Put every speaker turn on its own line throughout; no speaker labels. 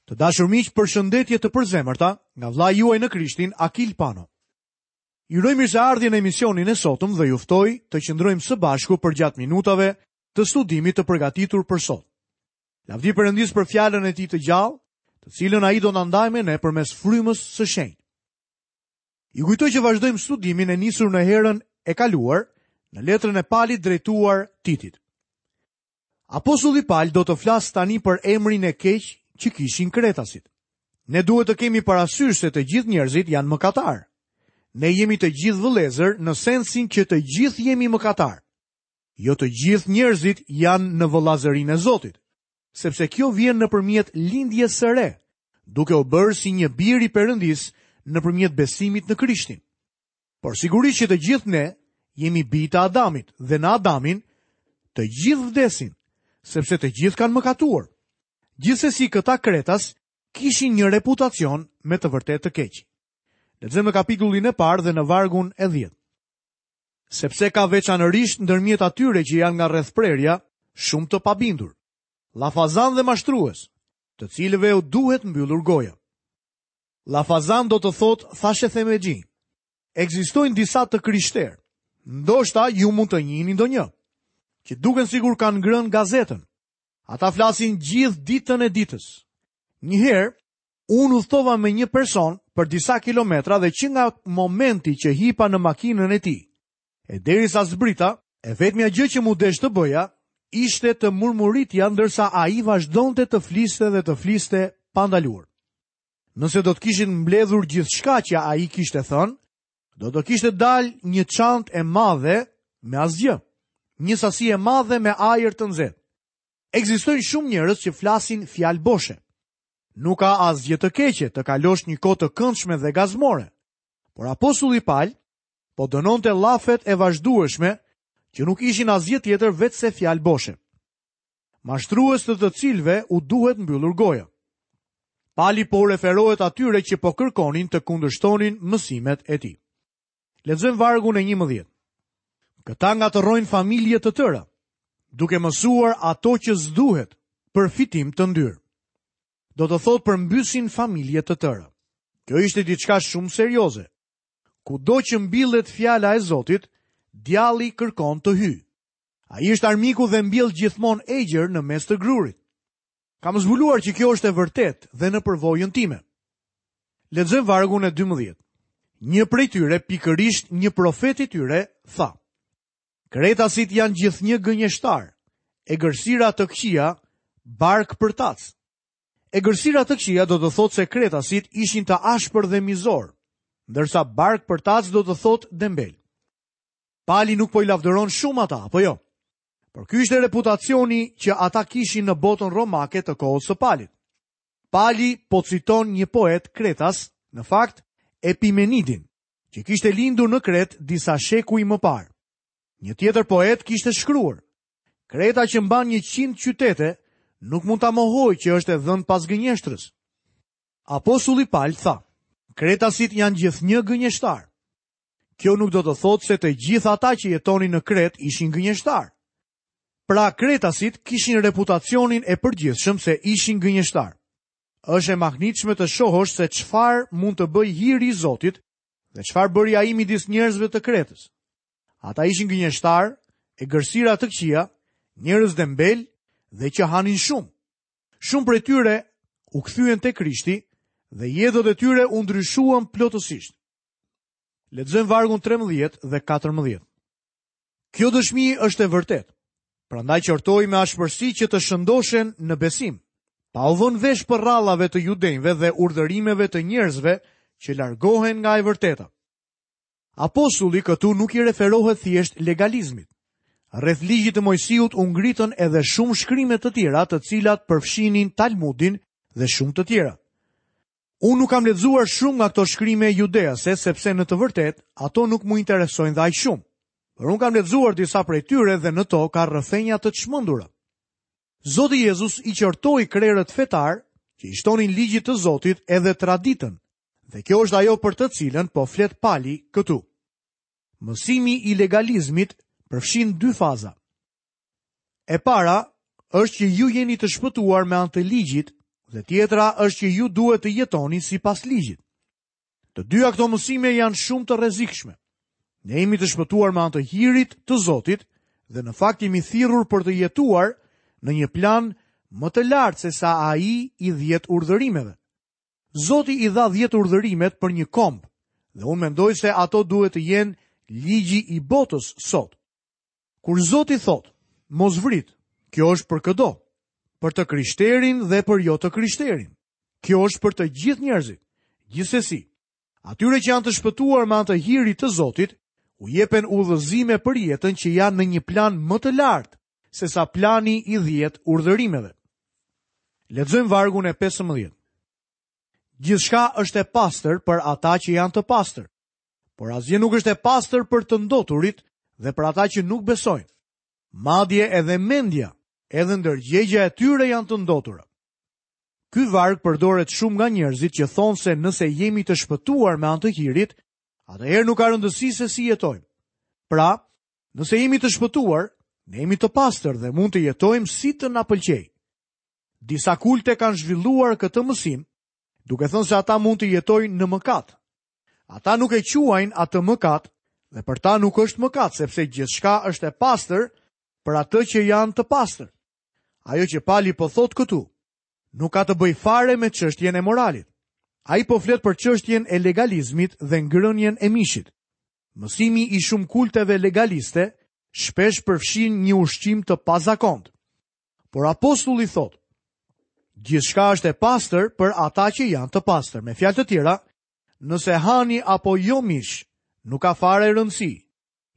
Të dashur miq, përshëndetje të përzemërta nga vëllai juaj në Krishtin, Akil Pano. Ju uroj mirëseardhje në emisionin e sotëm dhe ju ftoj të qëndrojmë së bashku përgjatë minutave të studimit të përgatitur për sot. Lavdi Perëndisë për fjalën e tij të gjallë, të cilën ai do na ndajë me ne përmes frymës së shenjtë. Ju kujtoj që vazhdojmë studimin e nisur në herën e kaluar në letrën e Palit drejtuar Titit. Apostulli Pal do të flasë tani për emrin e keq që kishin kretasit. Ne duhet të kemi parasysh se të gjithë njerëzit janë mëkatarë. Ne jemi të gjithë vëllezër në sensin që të gjithë jemi mëkatarë. Jo të gjithë njerëzit janë në vëllazërinë e Zotit, sepse kjo vjen nëpërmjet lindjes së re, duke u bërë si një bir i Perëndisë nëpërmjet besimit në Krishtin. Por sigurisht që të gjithë ne jemi bij të Adamit dhe në Adamin të gjithë vdesin, sepse të gjithë kanë mëkatuar. Gjithsesi këta kretas kishin një reputacion me të vërtetë të keq. Lexojmë në kapitullin e parë dhe në vargun e 10. Sepse ka veçanërisht ndërmjet atyre që janë nga rrethprerja shumë të pabindur, llafazanë dhe mashtrues, të cilëve u duhet mbyllur goja. Llafazan do të thotë thashethemexhinj. Ekzistojnë disa të krishterë. Ndoshta ju mund të njihni ndonjë, që duken sikur kanë ngrënë gazetën. Ata flasin gjithë ditën e ditës. Një herë, unë udhëtova me një person për disa kilometra dhe që nga momenti që hipa në makinën e tij, e derisa zbrita, e vetmja gjë që m'u desh të bëja, ishte të murmuritja ndërsa ai vazhdonte të fliste dhe të fliste pa ndaluar. Nëse do të kishit mbledhur gjithçka që ai kishte thënë, do të kishte dalë një çantë e madhe me asgjë, një sasi e madhe me ajër të nxehtë. Ekzistojnë shumë njerëz që flasin fjalë boshe. Nuk ka asgjë të keqe të kalosh një kohë të këndshme dhe gazmore. Por apostulli Pal po dënonte llafet e vazhdueshme që nuk ishin asgjë tjetër veçse fjalë boshe. Mashtrues të të cilëve u duhet mbyllur goja. Pali po u referohet atyre që po kërkonin të kundërshtonin mësimet e tij. Lexojmë vargun e 11. Këta ngatërrojnë familje të tëra, duke mësuar ato që s'duhet për fitim të ndyrë. Do të thotë përmbysin familje të tëra. Kjo ishte diçka shumë serioze. Kudo që mbillet fjala e Zotit, djalli kërkon të hyjë. Ai është armiku dhe mbjell gjithmonë egjër në mes të grurit. Kam zbuluar që kjo është e vërtetë dhe në përvojën time. Lexojmë vargun e 12. Një prej tyre, pikërisht një profet i tyre, tha: Kretasit janë gjithnjë gënjeshtarë, egërsira të këqija, barkpërtacë. Egërsira të këqija do të thotë se kretasit ishin të ashpër dhe mizorë, ndërsa barkpërtacë do të thotë dembelë. Pali nuk po i lavdëron shumë ata, apo jo? Por ky ishte reputacioni që ata kishin në botën romake të kohës së Palit. Pali po citon një poet kretas, në fakt Epimenidin, që kishte lindur në Kretë disa shekuj më parë. Një tjetër poet kishte shkruar: Kreta që mban 100 qytete, nuk mund ta mohojë që është e dhënë pas gënjeshtrës. Apostulli Pal tha: Kretasit janë gjithnjë gënjeshtarë. Kjo nuk do të thotë se të gjithë ata që jetonin në Kretë ishin gënjeshtarë. Pra kretasit kishin reputacionin e përgjithshëm se ishin gënjeshtarë. Është e mahnitshme të shohësh se çfarë mund të bëjë hiri i Zotit dhe çfarë bëri ai midis njerëzve të Kretës. Ata ishin gënjeshtarë, egërsira të këqija, njerëz dembelë dhe që hanin shumë. Shumë prej tyre u kthyen te Krishti dhe jetët e tyre u ndryshuan plotësisht. Lexojmë vargun 13 dhe 14. Kjo dëshmi është e vërtetë. Prandaj qortoji me ashpërsi që të shëndoshen në besim, pa u vënë vesh përrallave të judenjve dhe urdhërimeve të njerëzve që largohen nga e vërteta. Apostulli këtu nuk i referohet thjesht legalizmit. Rreth ligjit të Moisiut u ngritën edhe shumë shkrime të tjera të cilat përfshinin Talmudin dhe shumë të tjera. Unë nuk kam lexuar shumë nga këto shkrime judease, sepse në të vërtetë ato nuk më interesojnë dhe aq shumë. Por unë kam lexuar disa prej tyre dhe në to ka rrëfenja të çmendura. Zoti Jezus i qortoi krerët fetarë që i shtonin ligjit të Zotit edhe traditën, dhe kjo është ajo për të cilën po flet Pali këtu. Mësimi i legalizmit përfshin dy faza. E para është që ju jeni të shpëtuar me anë të ligjit. Dhe tjetra është që ju duhet të jetoni sipas ligjit. Të dyja këto mësime janë shumë të rrezikshme. Ne jemi të shpëtuar me anë të hirit të Zotit dhe në fakt jemi thirrur për të jetuar në një plan më të lartë sesa ai i 10 urdhërimeve. Zoti i dha 10 urdhërimet për një komb dhe unë mendoj se ato duhet të jenë ligji i botës sot. Kur Zoti thotë, mos vrit, kjo është për këdo, për të krishterin dhe për jo të krishterin. Kjo është për të gjithë njerëzit. Gjithsesi, atyre që janë të shpëtuar me anë të hirit të Zotit, u jepen udhëzime për jetën që janë në një plan më të lartë sesa plani i 10 urdhërimeve. Lexojmë vargun e 15. Gjithçka është e pastër për ata që janë të pastër, por asgjë nuk është e pastër për të ndoturit dhe për ata që nuk besojnë. Madje edhe mendja, edhe ndërgjegja e tyre janë të ndotura. Ky varg përdoret shumë nga njerëzit që thonë se nëse jemi të shpëtuar me anë të hirit, atëherë nuk ka rëndësi se si jetojmë. Pra, nëse jemi të shpëtuar, ne jemi të pastër dhe mund të jetojmë si të na pëlqejë. Disa kulte kanë zhvilluar këtë mësim, duke thënë se ata mund të jetojnë në mëkat. Ata nuk e quajnë atë mëkat dhe për ta nuk është mëkat, sepse gjithçka është e pastër për atë që janë të pastër. Ajo që Pali po thotë këtu, nuk ka të bëjë fare me çështjen e moralit. Ai po flet për çështjen e legalizmit dhe ngrënien e mishit. Mësimi i shumë kulteve legaliste shpesh përfshin një ushqim të pazakontë. Por apostulli thotë, gjithçka është e pastër për ata që janë të pastër. Me fjalë të tjera, nëse hani apo jo mish, nuk ka fare rëndësi.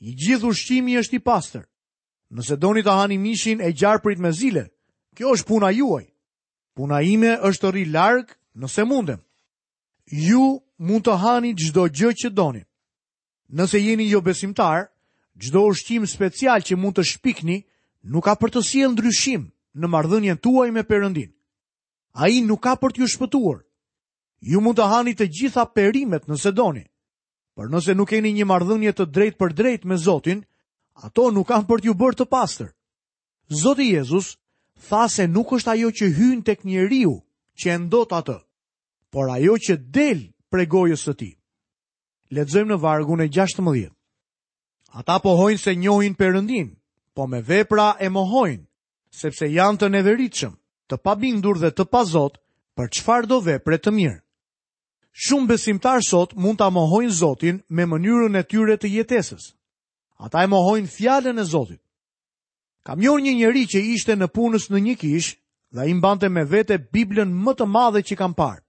I gjithë ushqimi është i pastër. Nëse doni të hani mishin e gjarprit me zile, kjo është puna juaj. Puna ime është të rri larg nëse mundem. Ju mund të hani çdo gjë që doni. Nëse jeni jobesimtar, çdo ushqim special që mund të shpikni nuk ka për të sjellë ndryshim në marrëdhënien tuaj me Perëndinë. Ai nuk ka për t'ju shpëtuar. Ju mund të hani të gjitha perimet nëse doni. Por nëse nuk keni një marrëdhënie të drejtpërdrejtë me Zotin, ato nuk kanë për t'ju bërë të pastër. Zoti Jezus tha se nuk është ajo që hyn tek njeriu që e ndot atë, por ajo që del prej gojës së tij. Lexojmë në vargun e 16. Ata pohojnë se njohin Perëndinë, po me vepra e mohojnë, sepse janë të neveritshëm, të pabindur dhe të pazotë për çfarëdo vepre të mirë. Shumë besimtarë sot mund ta mohojnë Zotin me mënyrën e tyre të jetesës. Ata e mohojnë fjalën e Zotit. Kam njohur një njeri që ishte nëpunës në një kishë dhe ai mbante me vete Biblën më të madhe që kam parë.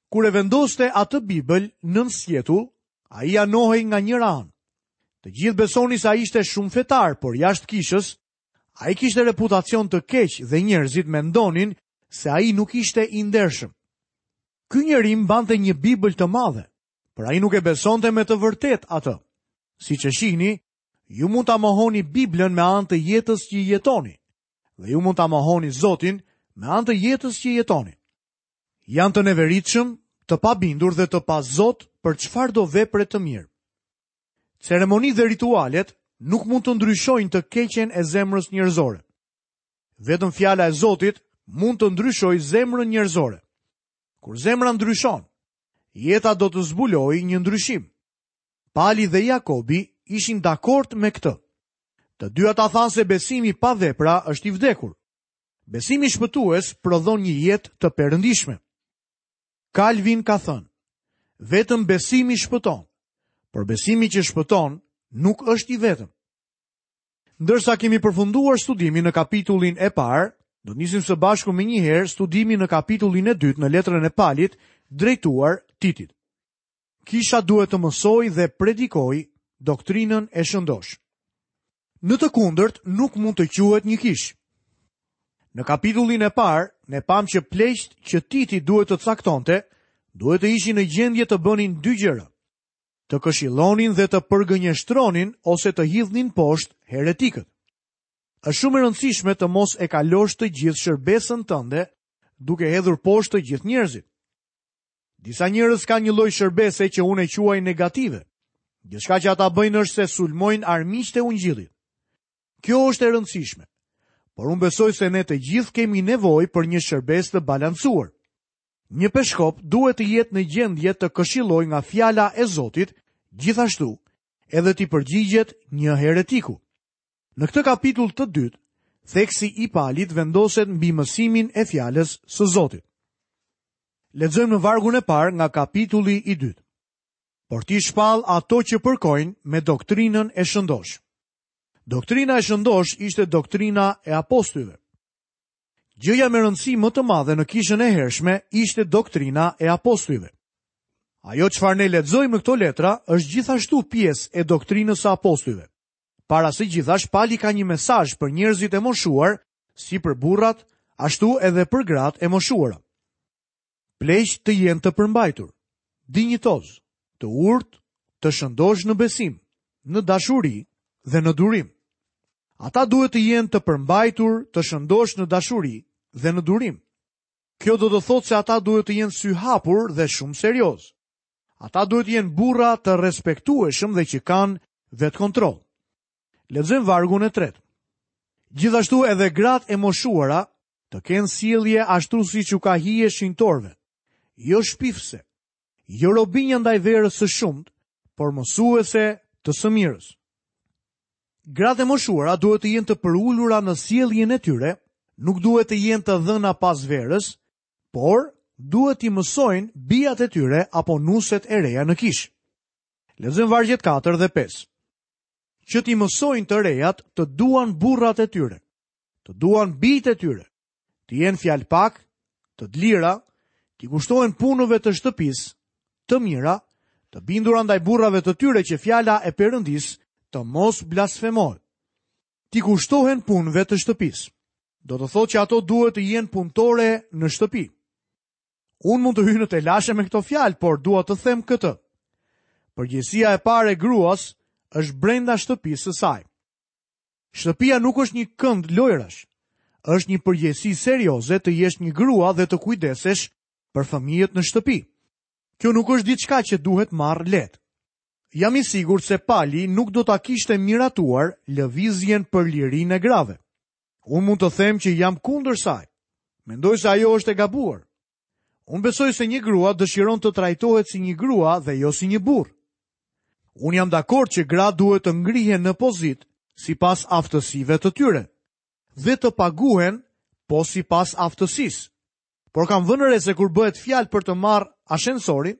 Kur e vendoste atë Bibël nën sqetull, ai anohej nga njëra anë. Të gjithë besonin se ai ishte shumë fetar, por jashtë kishës, ai kishte reputacion të keq dhe njerëzit mendonin se ai nuk ishte i ndershëm. Ky njeri mbante një Bibël të madhe, por ai nuk e besonte me të vërtetë atë. Siç e shihni, ju mund ta mohoni Biblën me anë të jetës që jetoni, dhe ju mund ta mohoni Zotin me anë të jetës që jetoni. Janë të neveritshëm, të pabindur dhe të pazotë për çfarëdo vepre të mirë. Ceremonitë dhe ritualet nuk mund të ndryshojnë të keqen e zemrës njerëzore. Vetëm fjala e Zotit mund të ndryshojë zemrën njerëzore. Kur zemra ndryshon, jeta do të zbulojë një ndryshim. Pali dhe Jakobi ishin dakord me këtë. Të dy ata thanë se besimi pa vepra është i vdekur. Besimi shpëtues prodhon një jetë të perëndishme. Kalvin ka thënë, vetëm besimi shpëton, por besimi që shpëton nuk është i vetëm. Ndërsa kemi përfunduar studimin në kapitullin e parë, do të nisim së bashku menjëherë studimin në kapitullin e dytë në letrën e Palit drejtuar Titit. Kisha duhet të mësojë dhe predikojë doktrinën e shëndoshë. Në të kundërt nuk mund të quhet një kishë. Në kapitullin e parë, ne pamë që pleqtë që Titi duhet të caktonte, duhet të ishin në gjendje të bënin dy gjëra. Të këshillonin dhe të përgënjeshtronin ose të hidhnin poshtë heretikët. Është shumë e rëndësishme të mos e kalosh të gjithë shërbesën tënde duke hedhur poshtë të gjithë njerëzit. Disa njerëz kanë një lloj shërbese që unë e quaj negative. Gjithçka që ata bëjnë është se sulmojnë armiqtë e ungjillit. Kjo është e rëndësishme. Por unë besoj se ne të gjithë kemi nevojë për një shërbesë të balancuar. Një peshkop duhet të jetë në gjendje të këshillojë nga fjala e Zotit, gjithashtu edhe t'i përgjigjet një heretiku. Në këtë kapitull të dytë, theksi i Palit vendoset mbi mësimin e fjalës së Zotit. Lexojmë në vargun e parë nga kapitulli i dytë. Por ti shpall ato që përkojnë me doktrinën e shëndoshë. Doktrina e shëndoshë ishte doktrina e apostujve. Gjëja me rëndësi më të madhe në kishën e hershme ishte doktrina e apostujve. Ajo çfarë ne lexojmë në këto letra është gjithashtu pjesë e doktrinës së apostujve. Para së gjithash, Pali ka një mesazh për njerëzit e moshuar, si për burrat, ashtu edhe për gratë e moshuara. Pleqtë të jenë të përmbajtur, dinjitozë, të urtë, të shëndoshë në besim, në dashuri dhe në durim. Ata duhet të jenë të përmbajtur, të shëndoshë në dashuri dhe në durim. Kjo do të thotë se ata duhet të jenë syhapur dhe shumë seriozë. Ata duhet të jenë burra të respektueshëm dhe që kanë vetëkontroll. Lexojmë vargun e tretë. Gjithashtu edhe gratë e moshuara të kenë sjellje ashtu siç u ka hije shenjtorëve, jo shpifëse, jo robinja ndaj verës së shumtë, por mësuese të së mirës. Gratë e moshuara duhet të jenë të përulura në sjelljen e tyre, nuk duhet të jenë të dhëna pas verës, por duhet t'i mësojnë bijat e tyre apo nuset e reja në kishë. Lexojmë vargjet 4 dhe 5. Që t'i mësojnë të rejat të duan burrat e tyre, të duan bijtë e tyre, të jenë fjalëpak, të dlira, t'i kushtohen punëve të shtëpisë, të mira, të bindura ndaj burrave të tyre që fjala e Perëndisë të mos blasfemohet. T'i kushtohen punëve të shtëpisë. Do të thotë që ato duhet të jenë punëtore në shtëpi. Unë mund të hyj në telashe me këto fjalë, por dua të them këtë. Përgjegjësia e parë e gruas është brenda shtëpisë së saj. Shtëpia nuk është një kënd lojrash. Është një përgjegjësi serioze të jesh një grua dhe të kujdesesh për fëmijët në shtëpi. Kjo nuk është diçka që duhet marrë lehtë. Jam i sigurt se Pali nuk do ta kishte miratuar lëvizjen për lirinë e grave. Unë mund të them që jam kundër saj. Mendoj se ajo është e gabuar. Unë besoj se një grua dëshiron të trajtohet si një grua dhe jo si një burrë. Unë jam dakord që gratë duhet të ngrihen në pozitë sipas aftësive të tyre dhe të paguhen po sipas aftësisë. Por kam vënë re se kur bëhet fjalë për të marrë ashensorin,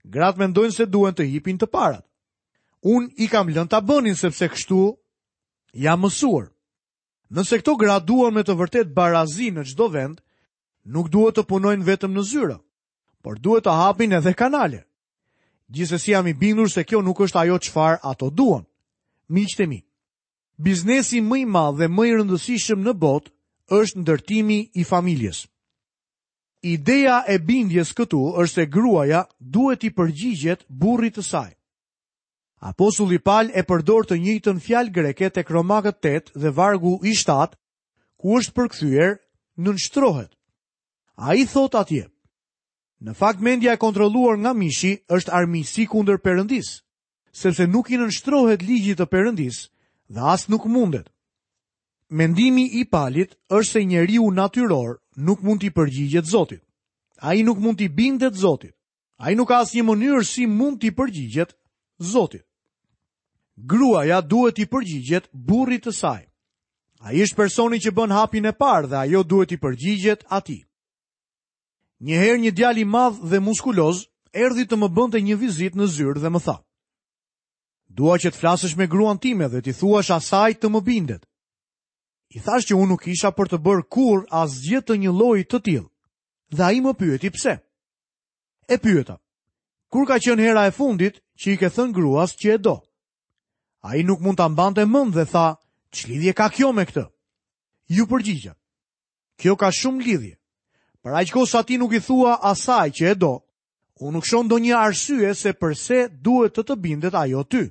gratë mendojnë se duhen të hipin të parat. Unë i kam lënë ta bënin sepse kështu jam mësuar. Nëse këto gra duan me të vërtetë barazi në çdo vend, nuk duhet të punojnë vetëm në zyra, por duhet të hapin edhe kanale. Gjithsesi jam i bindur se kjo nuk është ajo çfarë ato duan. Miqtë e mi, biznesi më i madh dhe më i rëndësishëm në botë është ndërtimi i familjes. Ideja e bindjes këtu është se gruaja duhet t'i përgjigjet burrit të saj. Apostulli Pal e përdor të njëjtën fjalë greke tek Romakët 8 dhe vargu i 7, ku është përkthyer nënshtrohet. Ai thotë atje: Në fakt mendja e kontrolluar nga mishi është armiqësi kundër Perëndisë, sepse nuk i nënshtrohet ligjit të Perëndisë dhe as nuk mundet. Mendimi i Palit është se njeriu natyror nuk mund t'i përgjigjet Zotit. Ai nuk mund t'i bindet Zotit. Ai nuk ka asnjë mënyrë si mund t'i përgjigjet Zotit. Gruaja duhet t'i përgjigjet burrit të saj. Ai është personi që bën hapin e parë dhe ajo duhet t'i përgjigjet atij. Një herë një djalë i madh dhe muskuloz erdhi të më bënte një vizitë në zyrë dhe më tha: "Dua që të flasësh me gruan time dhe t'i thuash asaj të më bindet." I thashë që unë nuk isha për të bërë kurrë asgjë të një lloji të tillë. Dhe ai më pyeti pse. E pyeta, kur ka qenë hera e fundit që i ke thënë gruas që e do? Ai nuk mund ta mbante mend dhe tha, ç'lidhje ka kjo me këtë? Iu përgjigja. Kjo ka shumë lidhje. Për aq kohë sa ti nuk i thua asaj që e do, unë nuk shoh ndonjë arsye se përse duhet të të bindet ajo ty.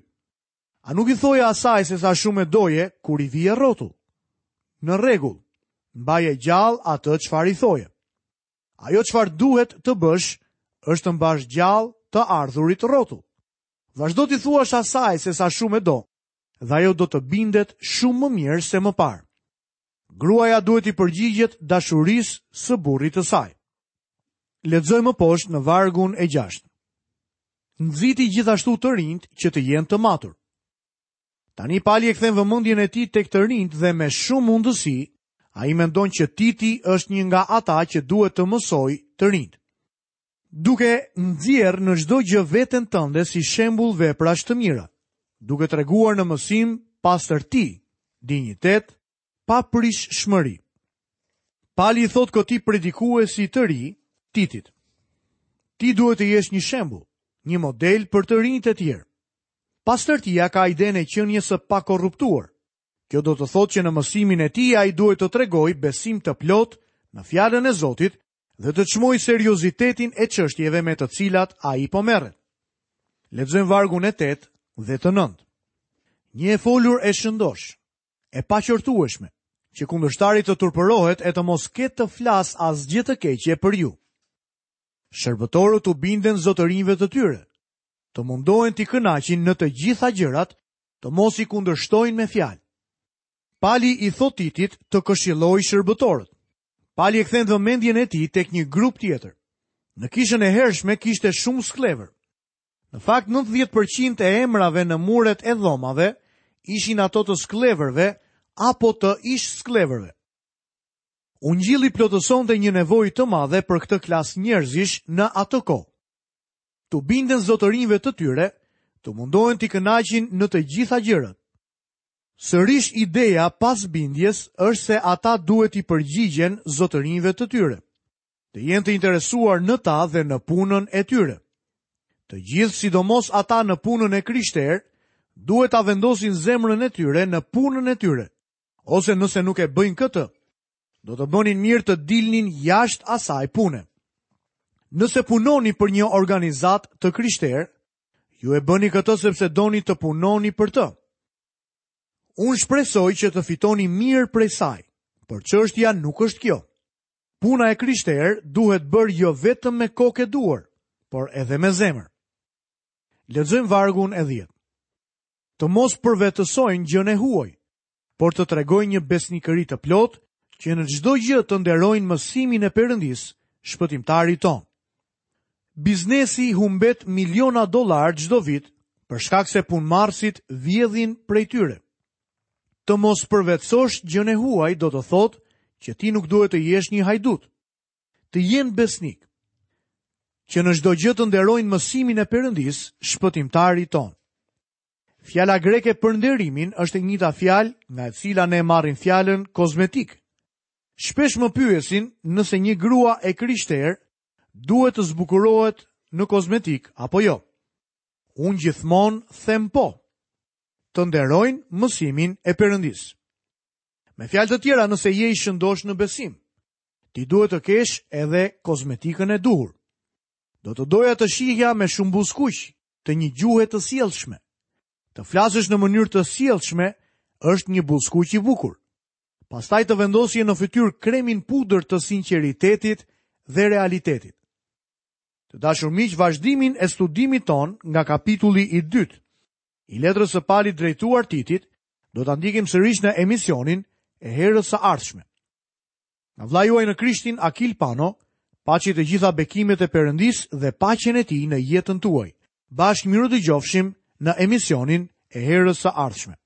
A nuk i thoje asaj se sa shumë e doje kur i vije rrotull? Në rregull, mbaje gjallë atë çfarë i thoje. Ajo çfarë duhet të bësh është të mbash gjallë të ardhurit rrotull. Vazhdo t'i thuash asaj se sa shumë e do dhe ajo do të bindet shumë më mirë se më parë. Gruaja duhet t'i përgjigjet dashurisë së burrit të saj. Lexojmë më poshtë në vargun e 6. Nxiti gjithashtu të rinjtë që të jenë të matur. Tani Pali e kthen vëmendjen e tij tek të rinjtë dhe me shumë mundësi, ai mendon që Titi është një nga ata që duhet të mësojë të rinjtë. Duke nxjerrë në çdo gjë veten tënde si shembull veprash të mira, duke treguar në mësim pastërti, dinjitet, paprishshmëri. Pali i thotë këtij predikuesi të ri, Titit. Ti duhet të jesh një shembull, një model për të rinjtë e tjerë. Pastërtia ka idenë e qenies së pakorruptuar. Kjo do të thotë që në mësimin e tij ai duhet të tregojë besim të plotë në fjalën e Zotit dhe të çmojë seriozitetin e çështjeve me të cilat ai po merret. Lexojmë vargun e 8 dhe të 9. Një e folur e shëndoshë, e paqortueshme, që kundërshtari të turpërohet e të mos ketë të flasë asgjë të keqe për ju. Shërbëtorët t'u binden zotërinjve të tyre, të mundohen t'i kënaqin në të gjitha gjërat, të mos i kundërshtojnë me fjalë. Pali i thotë Titit të këshillojë shërbëtorët. Pali e kthen vëmendjen e tij tek një grup tjetër. Në kishën e hershme kishte shumë skllevër. Në fakt 90% e emrave në muret e dhomave ishin ato të skllevërve apo të ish skllevërve. Ungjilli plotësonte një nevojë të madhe për këtë klasë njerëzish në atë kohë. T'u binden zotërinjve të tyre, të mundohen t'i kënaqin në të gjitha gjërat. Sërish ideja pas bindjes është se ata duhet t'i përgjigjen zotërinjve të tyre, të jenë të interesuar në ta dhe në punën e tyre. Të gjithë, sidomos ata në punën e krishterë, duhet ta vendosin zemrën e tyre në punën e tyre, ose nëse nuk e bëjnë këtë, do të bënin mirë të dilnin jashtë asaj pune. Nëse punoni për një organizatë të krishterë, ju e bëni këtë sepse doni të punoni për të. Unë shpresoj që të fitoni mirë prej saj, por çështja nuk është kjo. Puna e krishterë duhet bërë jo vetëm me kokë e duar, por edhe me zemër. Lexojmë vargun e 10. Të mos përvetësojnë gjënë e huaj, por të tregojnë një besnikëri të plotë që në çdo gjë të nderojnë mësimin e Perëndisë, shpëtimtarit tonë. Biznesi humbet miliona dollarë çdo vit për shkak se punëmarrësit vjedhin prej tyre. Të mos përvetësosh gjënë e huaj do të thotë që ti nuk duhet të jesh një hajdut. Të jenë besnikë. Që në çdo gjë të nderojnë mësimin e Perëndisë, shpëtimtarit tonë. Fjala greke për nderimin është e njëjta fjalë nga e cila ne marrim fjalën kozmetikë. Shpesh më pyesin nëse një grua e krishterë duhet të zbukurohet në kozmetikë apo jo. Unë gjithmonë them po. Të nderojnë mësimin e Perëndisë. Me fjalë të tjera, nëse je i shëndoshë në besim, ti duhet të kesh edhe kozmetikën e duhur. Do të doja të shihja me shumë buzëkuq, të një gjuhe të sjellshme. Të flasësh në mënyrë të sjellshme është një buzëkuq i bukur. Pastaj të vendosje në fytyrë kremin pudër të sinqeritetit dhe realitetit. Të dashur miq, vazhdimin e studimit tonë nga kapitulli i dytë i letrës së Palit drejtuar Titit, do ta ndjekim sërish në emisionin e herës së ardhshme. Nga vëllai juaj në Krishtin Akil Pano, paçi të gjitha bekimet e Perëndisë dhe paqen e tij në jetën tuaj. Bashkë mirudëgjofshim në emisionin e herës së ardhshme.